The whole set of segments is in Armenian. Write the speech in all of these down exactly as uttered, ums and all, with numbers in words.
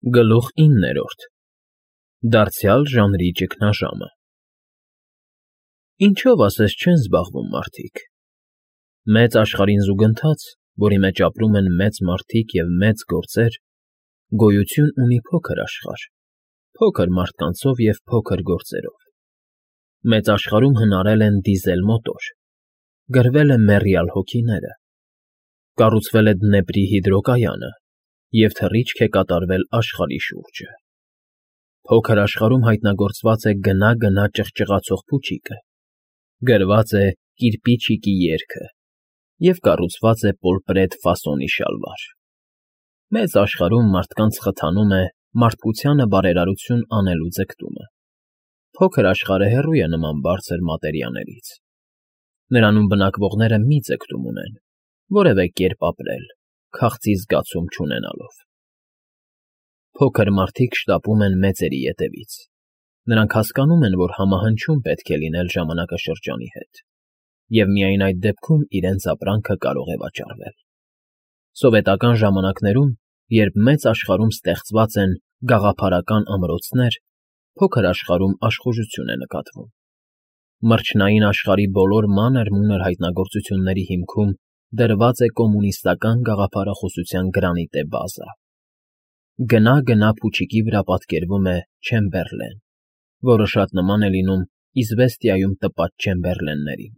Գլուխ իններորդ Դարձյալ ժանրի ճգնաժամը Ինչո՞վ ասես չեն զբաղվում մարդիկ։ Մեծ աշխարհին զուգընթաց, որի մեջ ապրում են մեծ մարդիկ և մեծ գործեր, գոյություն ունի փոքր աշխարհ, փոքր մարդկանցով և փոքր գործերով։ Մեծ աշխարհում հնարել են դիզել մոտոր, գրվել է մեռյալ հոգիները, կառուցվել է Դնեպրի հիդրոկայանը և թռիչք է կատարվել աշխարհի շուրջը։ Փոքր աշխարհում հայտնագործված է գնա֊գնա ճղճղացող փուչիկը, գրված է կիրպիչիկի երգը և կառուցված է պոլպրետ ֆասոնի շալվար։ Մեծ աշխարհում մարդկանց խթանում է մարդկությանը բարերարություն անելու ձգտումը։ Փոքր աշխարհը հեռու է նման բարձր մատերիաներից։ Նրանում բնակվողները մի ձգտում ունեն՝ որևէ կերպ ապրել, քաղցի զգացում չունենալով։ Փոքր մարդիկ շտապում են մեծերի ետևից։ Նրանք հասկանում են, որ համահնչում պետք է լինել ժամանակաշրջանի հետ, և միայն այդ դեպքում իրենց ապրանքը կարող է վաճառվել։ Սովետական ժամանակներում, երբ մեծ աշխարհում ստեղծված են գաղափարական ամրոցներ, փոքր աշխարհում աշխուժություն է նկատվում։ Մրջնային աշխարհի բոլոր մանր֊մունր հայտնագործությունների հիմքում դրված է կոմունիստական գաղափարախոսության գրանիտե բազա։ Գնա֊գնա փուչիկի վրա պատկերվում է Չեմբերլեն, որը շատ նման է լինում Իզվեստիայում տպած չեմբերլեններին։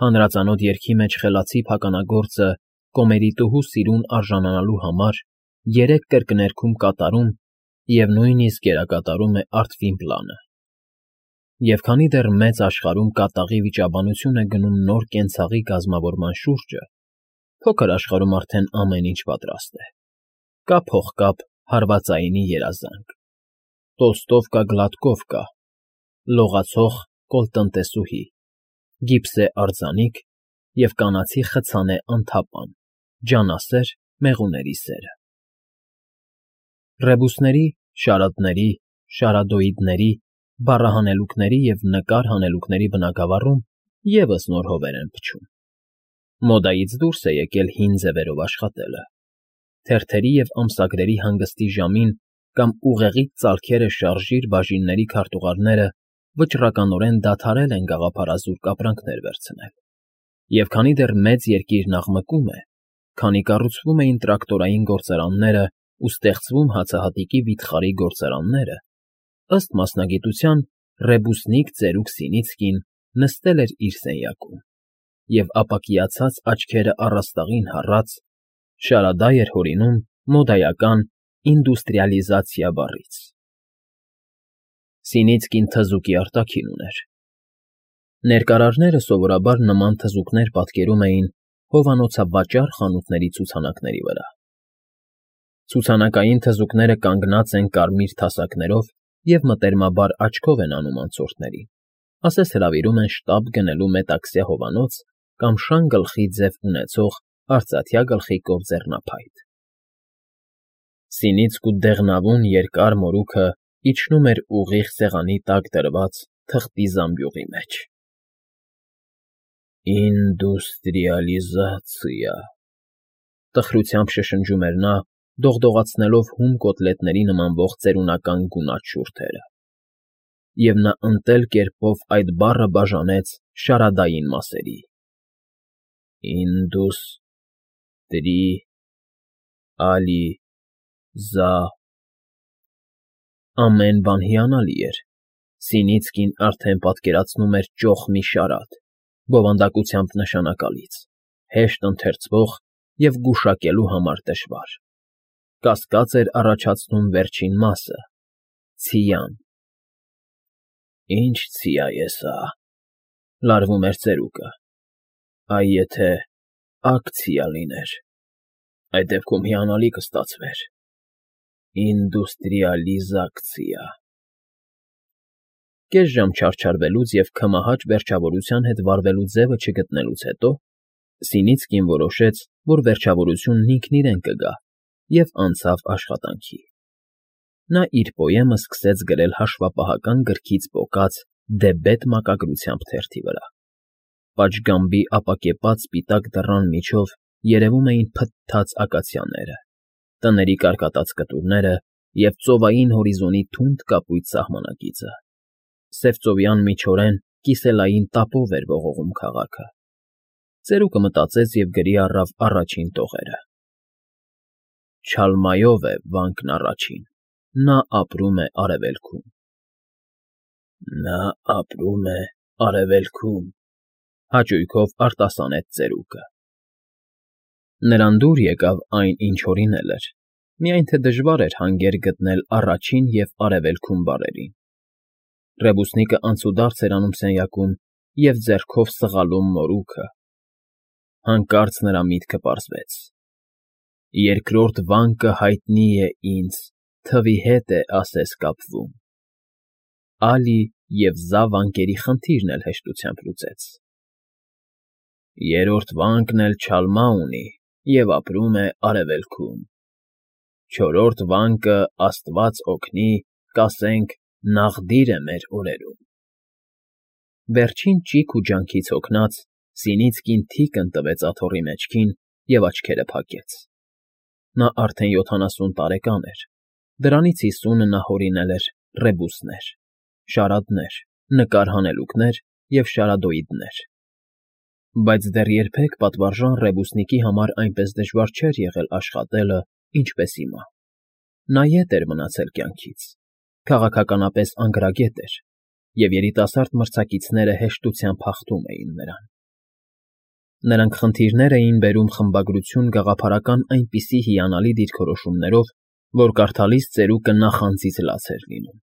Հանրածանոթ երգի մեջ խելացի փականագործը կոմերիտուհու սիրուն արժանանալու համար երեք կրկներգում կատարում և նույնիսկ կերակատարում է Արտվին պլանը։ Եվ քանի դեռ մեծ աշխարհում կատաղի վիճաբանություն է գնում նոր կենցաղի կազմավորման շուրջը, փոքր աշխարհում արդեն ամեն ինչ պատրաստ է։ Կա փողկապ հարվածայինի երազանք, Տոլստովկա Գլատկովկա, լողացող կոլտնտեսուհի, գիպսե արձանիկ և կանացի խցանե անթապան, ջանասեր մեղուների սերը։ Ռեբուսների, շարադների, շարադոիդների, բառահանելուկների և նկար հանելուկների բնագավառում ևս նոր հովեր են փչում։ Մոդայից դուրս է եկել հին ձևերով աշխատելը։ Թերթերի և ամսագրերի հանգստի ժամին կամ ուղեղից ծալքերը շարժիչ բաժինների քարտուղարները վճռականորեն դադարել են գաղափարազուրկ ապրանքներ վերցնել։ Եվ քանի դեռ մեծ երկիրն աղմկում է, քանի կառուցվում էին տրակտորային գործարաններն ու ստեղծվում հացահատիկի վիթխարի գործարանները, ըստ մասնագիտության ռեբուսնիկ ծերուկ Սինիցկին նստել էր իր սենյակում և ապակիացած աչքերը առաստաղին հառած շարադա էր հորինում մոդայական ինդուստրիալիզացիա բառից։ Սինիցկին թզուկի արտաքին ուներ։ Ներկարարները սովորաբար նման թզուկներ պատկերում էին հովանոցավաճառ խանութների ցուցանակների վրա։ Ցուցանակային թզուկները կանգնած են կարմիր թասակներով և մտերմաբար աչքով են անում անցորդներին, ասես հրավիրում են շտապ գնելու մետաքսյա հովանոց կամ շան գլխի ձև ունեցող արծաթյա գլխիկով ձեռնափայտ։ Սինիցկու դեղնավուն երկար մորուքը իջնում էր ուղիղ սեղանի տակ դրված թղթի զամբյուղի մեջ։ Ին֊դուս֊տրի֊ալի֊զա֊ցիա, տխրությամբ շշնջում էր նա, դողդողացնելով հում կոտլետների նմանվող ծերունական գունատ շուրթերը։ Եվ նա ընտել կերպով այդ բառը բաժանեց շարադային մասերի. Ին֊դուս֊տրի֊ալի֊զա… Ամեն բան հիանալի էր։ Սինիցկին արդեն պատկերացնում էր ճոխ մի շարադ, բովանդակությամբ նշանակալից, հեշտ ընթերցվող և գուշակելու համար դժվար։ Կասկած էր առաջացնում վերջին մասը՝ ցիան։ Ի՞նչ ցիա է սա,֊ լարվում էր ծերուկը։ Այ եթե ակցիա լիներ, այդ դեպքում հիանալի կստացվեր։ Ինդուստրիալիզացիա… Կես ժամ չարչարվելուց և քմահաճ վերջավորության հետ վարվելու ձևը չգտնելուց հետո Սինիցկին որոշեց, որ վերջավորությունն ինքն իրեն կգա և անցավ աշխատանքի։ Նա իր պոեմը սկսեց գրել հաշվապահական գրքից պոկած դեբետ մակագրությամբ թերթի վրա։ Պատշգամբի ապակեպած սպիտակ դռան միջով երևում էին փթթած ակացիաները, տների կարկատած կտուրները և ծովային հորիզոնի թունդ կապույտ սահմանակիցը, սևծովյան միջորեն կիսելային տապով էր ողողում քաղաքը։ Ծերուկը մտածեց և գրի առավ առաջին տողերը. Չալմայով է վանքն առաջին, նա ապրում է արևելքում։ Նա ապրում է արևելքում, հաճույքով արտասանեց ծերուկը։ Նրան դուր եկավ այն, ինչ օրինել էր, միայն թե դժվար էր հանգեր գտնել առաջին և արևելքում բառերին։ Ռեբուսնիկը անցուդարձ էր անում սենյակում և ձեռքով սղալում մորուքը։ Հանկարծ նրա միտքը պարզվեց. երկրորդ վանկը հայտնի է ինձ, թվի հետ է ասես կապվում։ Ալի և Զա վանկերի խնդիրն էլ հեշտությամբ լուծեց։ Երրորդ վանկն էլ չալմա ունի և ապրում է արևելքում։ Չորրորդ վանկը, աստված օգնի, կասենք, նաղդիր է մեր օրերում։ Վերջին ճիգ ու ջանքից հոգնած՝ Սինիցկին թիկն տվեց աթոռի մեջքին և աչքերը փակեց։ Նա արդեն յոթանասուն տարեկան էր, դրանից հիսունը նա հորինել էր ռեբուսներ, շարադներ, նկար հանելուկներ և շարադոիդներ։ Բայց դեռ երբեք պատվարժան ռեբուսնիկի համար այնպես դժվար չէր եղել աշխատելը, ինչպես հիմա։ Նա ետ էր մնացել կյանքից, քաղաքականապես անգրագետ էր, և երիտասարդ մրցակիցները հեշտությամբ հաղթում էին նրան։ Նրանք խնդիրներ էին բերում խմբագրություն գաղափարական այնպիսի հիանալի դիրքորոշումներով, որ կարդալիս ծերուկը նախանձից լաց էր լինում։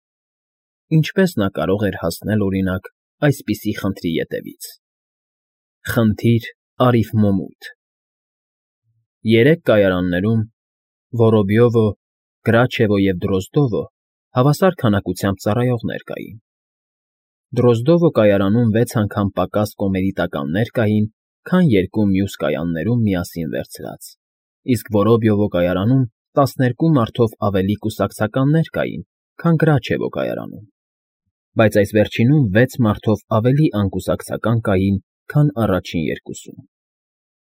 Ինչպես նա կարող էր հասնել, օրինակ, այսպիսի խնդրի ետևից. Խնդիր արիֆմոմույթ։ Երեք կայարաններում՝ Վորոբյովո, Կրաչևո և Դրոզդովո, հավասար քանակությամբ ծառայողներ կային։ Դրոզդովո կայարանում վեց անգամ պակաս կոմերիտականներ կային, քան երկու մյուս կայաններում միասին վերցրած, իսկ Որոբյովո կայարանում տասներկու մարդով ավելի կուսակցականներ կային, քան Կրաչևո կայարանում, բայց այս վերջինում վեց մարդով ավելի անկուսակցական կային, քան առաջին երկուսում։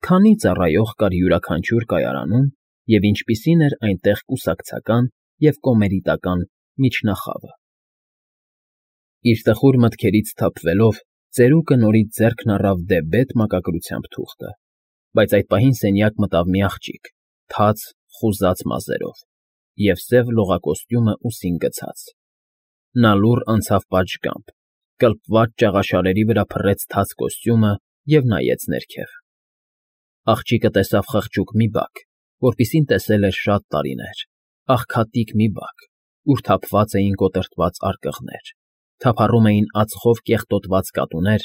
Քանի ծառայող կար յուրաքանչյուր կայարանում և ինչպիսին էր այնտեղ կուսակցական և կոմերիտական միջնախավը։ Իր տխուր մտքերից սթափվելով՝ ծերուկը նորից ձեռքն առավ դեպ֊բետ մակագրությամբ թուղթը, բայց այդ պահին սենյակ մտավ մի աղջիկ, թաց, խուզած մազերով, և սև լողակոստյումը ուսին գցած։ Նա լուռ անցավ պատշգամբ, կլպված ճաղաշարերի վրա փռեց թաց կոստյումը և նայեց ներքև։ Աղջիկը տեսավ խղճուկ մի բակ, որպիսին տեսել էր շատ տարիներ, աղքատիկ մի բակ, ուր թափված էին կոտրտված արկղներ, թափառում էին ածխով կեղտոտված կատուներ,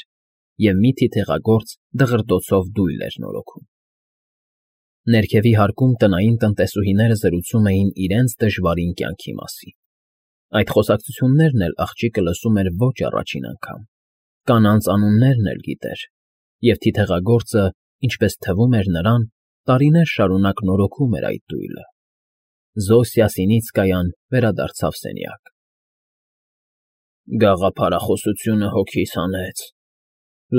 և մի թիթեղագործ դղրդոցով դույլ էր նորոգում։ Ներքևի հարկում տնային տնտեսուհիները զրուցում էին իրենց դժվարին կյանքի մասին։ Այդ խոսակցություններն էլ աղջիկը լսում էր ոչ առաջին անգամ, կանանց անուններն էլ գիտեր, և թիթեղագործը, ինչպես թվում էր նրան, տարիներ շարունակ նորոգում էր այդ դույլը։ Զոսիա Սինիցկայան վերադարձավ սենյակ։ Գաղափարախոսությունը հոգիս հանեց,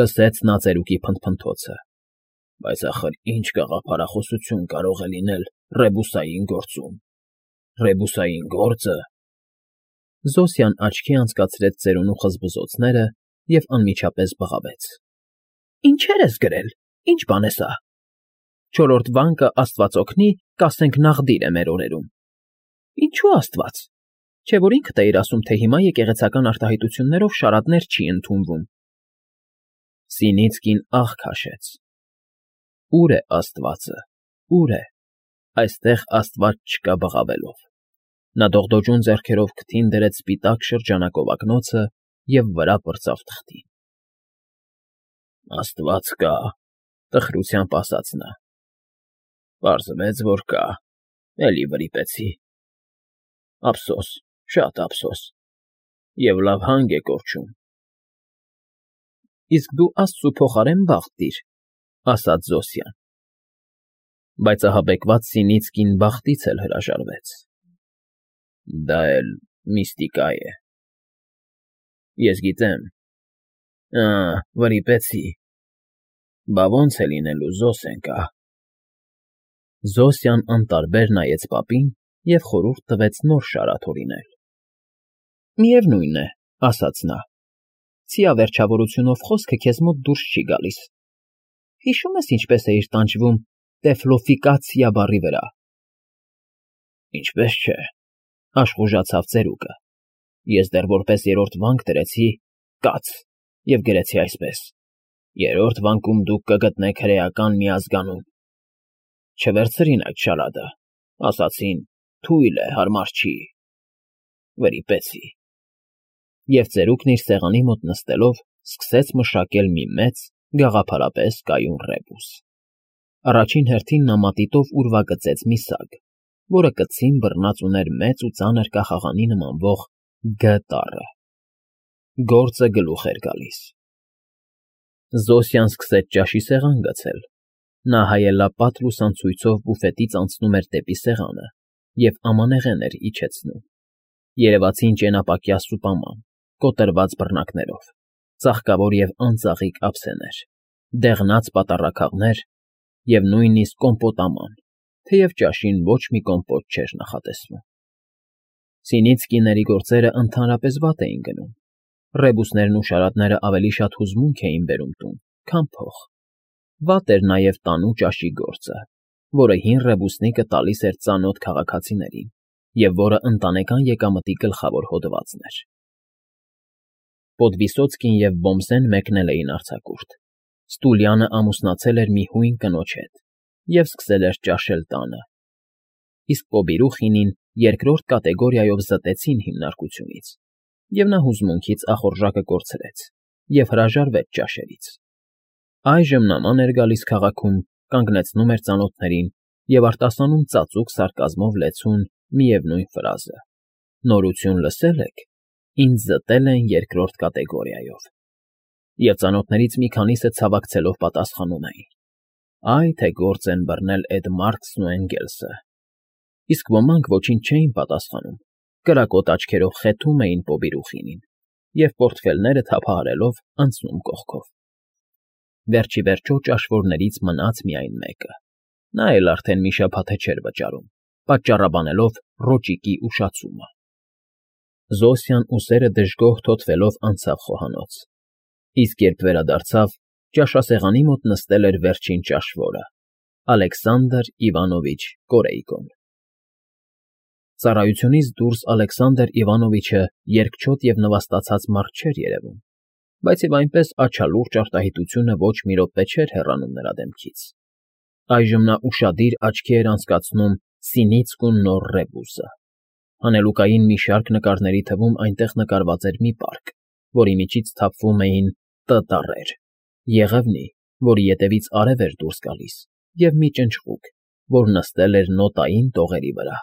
լսեց նա ծերուկի փնթփնթոցը, բայց ախր ինչ գաղափարախոսություն կարող է լինել ռեբուսային գործում։ Ռեբուսային գործը… Զոսյան աչքի անցկացրեց ծերունու խզբզոցները և անմիջապես բղավեց. Ինչեր ես գրել, ինչ բան է սա։ Չորրորդ վանկը, աստված օգնի, կասենք նաղդիր է մեր օրերում։ Ինչո՞ւ աստված, չէ՞ որ ինքդ էիր ասում, թե հիմա եկեղեցական արտահայտություններով շարադներ չի ընդունվում։ Սինիցկին ահ քաշեց. Ո՞ւր է աստվածը, ո՞ւր է, այստեղ աստված չկա բղավելով։ Նա դողդոջուն ձեռքերով քթին դրեց սպիտակ շրջանակովակնոցը և վրա պրծավ թղթին։ Աստված կա, տխրությամբ ասաց նա։ Պարզվեց, որ կա, էլի վրիպեցի։ Ափսոս, շատ ափսոս, և լավ հանգ է կորչում։ Իսկ դու աստծու փոխարեն բախտ դիր, ասաց Զոսյան։ Բայց ահաբեկված Սինիցկին բախտից էլ հրաժարվեց։ Դա էլ միստիկա է։ Ես գիտեմ։ Ա, վրիպեցի։ Բա ո՞նց է լինելու, Զոսենկա։ Զոսյան անտարբեր նայեց պապին և խորհուրդ տվեց նոր շարաթ հորինել։ ֊ Միևնույն է, ֊ ասաց նա, ֊ ցիավերջավորությունով խոսքը քեզ մոտ դուրս չի գալիս։ Հիշո՞ւմ ես ինչպես էիր տանջվում «տեֆլոֆիկացիա» բառի վրա։ ֊ Ինչպես չէ, ֊ աշխուժացավ ծերուկը, ֊ ես դեռ որպես երրորդ վանք դրեցի «կաց» և գրեցի այսպես. «Երրորդ վանկում դուք կգտնեք հրեական մի ազգանուն»։ Չվերցրին այդ շարադը, ասացին՝ թույլ է, հարմար չի, վրիպեցի։ Եվ ծերուկն իր սեղանի մոտ նստելով սկսեց մշակել մի մեծ, գաղափարապես կայուն ռեբուս։ Առաջին հերթին նա մատիտով ուրվագծեց մի սագ, որը կցին բռնած ուներ մեծ ու ծանր կախաղանի նմանվող «Գ» տառը։ Գործը գլուխ էր գալիս։ Զոսյան սկսեց ճաշի սեղան գցել։ Նա հայելապատ լուսանցույցով բուֆետից անցնում էր դեպի սեղանը և ամանեղեն էր իջեցնում։ Երևացին ճենապակյա սուպաման, կոտրված բռնակներով, ծաղկավոր և անծաղիկ ափսեներ, դեղնած պատառաքաղներ և նույնիսկ կոմպոտաման, թեև ճաշին ոչ մի կոմպոտ չէր նախատեսվում։ Սինիցկիների գործերը ընդհանրապես վատ էին գնում։ Ռեբուսներն ու շարատները ավելի շատ հուզմունք էին բերում տուն, քան փող։ Վատ էր նաև տանու ճաշի գործը, որը հին ռեբուսնիկը տալիս էր ծանոթ քաղաքացիներին և որը ընտանեկան եկամտի գլխավոր հոդվածն էր։ Պոդվիսոցկին և Ոմսեն մեկնել էին արձակուրդ։ Ստուլյանը ամուսնացել էր մի հույն կնոջ հետ և սկսել էր ճաշել տանը, իսկ Պոբիրուխինին երկրորդ կատեգորիայով զտեցին հիմնարկությունից, և նա հուզմունքից ախորժակը կորցրեց և հրաժարվեց ճաշերից։ Այժմ նման էր գալիս քաղաքում, կանգնեցնում էր ծանոթներին և արտասանում ծածուկ սարկազմով լեցուն միևնույն ֆրազը. «Նորություն լսե՞լ եք, ինձ զտել են երկրորդ կատեգորիայով»։ Եվ ծանոթներից մի քանիսը ցավակցելով պատասխանում էին. «Այ թե գործ են բռնել էդ Մարքսն ու Էնգելսը»։ Իսկ ոմանք ոչինչ չէին պատասխանում, կրակոտ աչքերով խեթում էին Պոբիրուխինին և պորտֆելները թափահարելով անցնում կողքով։ Վերջիվերջո ճաշվորներից մնաց միայն մեկը։ Նա էլ արդեն մի շաբաթ է չէր վճարում, պատճառաբանելով ռոճիկի ուշացումը։ Զոսյան ուսերը դժգոհ թոթվելով անցավ խոհանոց, իսկ երբ վերադարձավ, ճաշասեղանի մոտ նստել էր վերջին ճաշվորը՝ Ալեքսանդր Իվանովիչ Կորեյկոն։ Ծառայությունից դուրս Ալեքսանդր Իվանովիչը երկչոտ և նվաստացած մարդ չէր երևում, բայց և այնպես աչալուրջ արտահայտությունը ոչ մի րոպե չէր հեռանում նրա դեմքից։ Այժմ նա ուշադիր աչքի էր անցկացնում Սինիցկուն նոր ռեբուսը։ Հանելուկային մի շարք նկարների թվում այնտեղ նկարված էր մի պարկ, որի միջից թափվում էին Տ տառեր, եղևնի, որի ետևից արև էր դուրս գալիս, և մի ճնճղուկ, որ նստել էր նոտային տողերի վրա։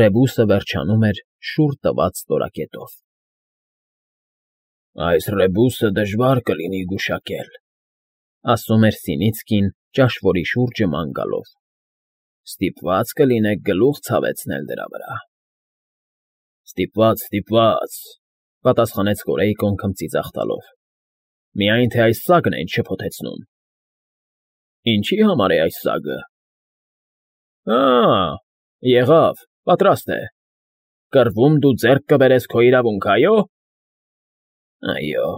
Ռեբուսը վերջանում էր շուռ տված ստորակետով։ «Այս ռեբուսը դժվար կլինի գուշակել», ֊ ասում էր Սինիցկին ճաշվորի շուրջը ման գալով։ «Ստիպված կլինեք գլուխ ցավեցնել դրա վրա»։ «Ստիպված, ստիպված», ֊ պատասխանեց Կորեյկոն քմծիծաղ տալով։ «Միայն թե այս սագն էին շփոթեցնում»։ «Ինչի համար է այս սագը»։ «Ա՜, եղավ, պատրաստ է։ Կռվում դու ձեռք կբերես քո իրավունքը, այո՞։ ֊ Այո,֊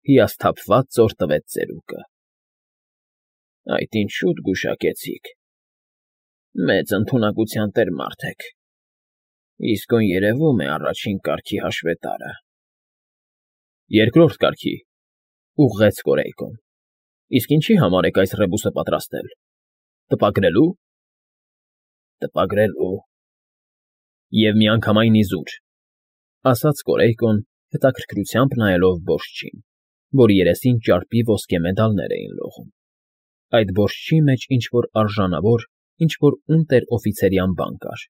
հիասթափված ծոր տվեց ծերուկը։ ֊ Այդ ինչ շուտ գուշակեցիք։ Մեծ ընդունակության տեր մարդ եք, իսկույն երևում է առաջին կարգի հաշվետարը։ ֊ Երկրորդ կարգի,֊ ուղղեց Կորեյկոն։ ֊ Իսկ ինչի համար եք այս ռեբուսը պատրաստել։ Տպագրելու։ ֊ Տպագրելու։ ֊ Եվ միանգամայն իզուր,֊ ասաց Կորեյկոն, հետաքրքրությամբ նայելով բորջին, որի երեսին ճարպի ոսկե մեդալներ էին լողում։ Այդ բորջի մեջ ինչ֊որ արժանավոր, ինչ֊որ ունտեր֊օֆիցերյան բան կար։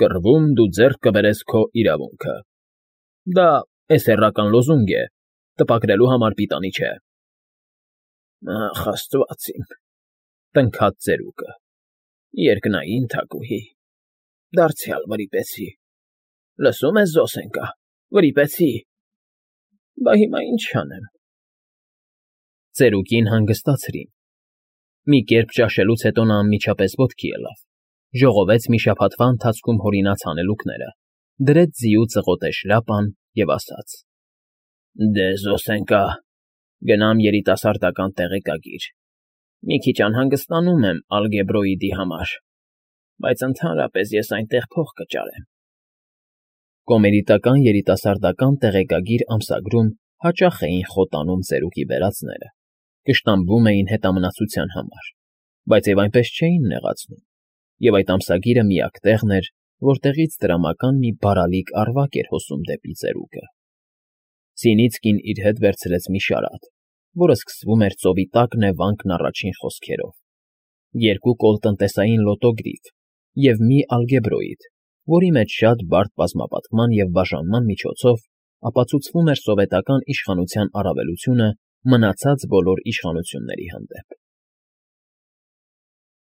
«Կռվում դու ձեռք կբերես քո իրավունքը»։ Դա էսեռական լոզունգ է, տպագրելու համար պիտանի չէ։ ֊ Ախ, աստված իմ,֊ տնքաց ծերուկը,֊ երկնային թագուհի, դարձյալ վրիպեցի։ Լսում ես, Զոսենկա, վրիպեցի։ Բա հիմա ինչ անեմ։ Ծերուկին հանգստացրին։ Մի կերպ ճաշելուց հետո նա անմիջապես ոտքի ելավ, ժողովեց մի շաբաթվա ընթացքում հորինած հանելուկները, դրեց ձիու ծղոտե շլապան և ասաց. «Դե, զոսենկա, գնամ երիտասարդական տեղեկագիր, մի քիչ անհանգստանում եմ ալգեբրոիդի համար, բայց ընդհանրապես ես այնտեղ փող կճարեմ»։ Կոմերիտական երիտասարդական տեղեկագիր ամսագրում հաճախ էին խոտանում ծերուկի բերածները, կշտամբվում էին հետամնացության համար, բայց և այնպես չէին նեղացնում, և այդ ամսագիրը միակ տեղն էր, որտեղից տրամական մի բարալիկ առվակ էր հոսում դեպի ծերուկը։ Սինիցկին իր հետ վերցրեց մի շարաթ, որը սկսվում էր ծովի տակ նևանքն առաջին խոսքերով, երկու կոլ տնտեսային լոտոգրիֆ և մի ալգեբրոիդ, որի մեջ շատ բարդ բազմապատկման և բաժանման միջոցով ապացուցվում էր սովետական իշխանության առավելությունը մնացած բոլոր իշխանությունների հանդեպ։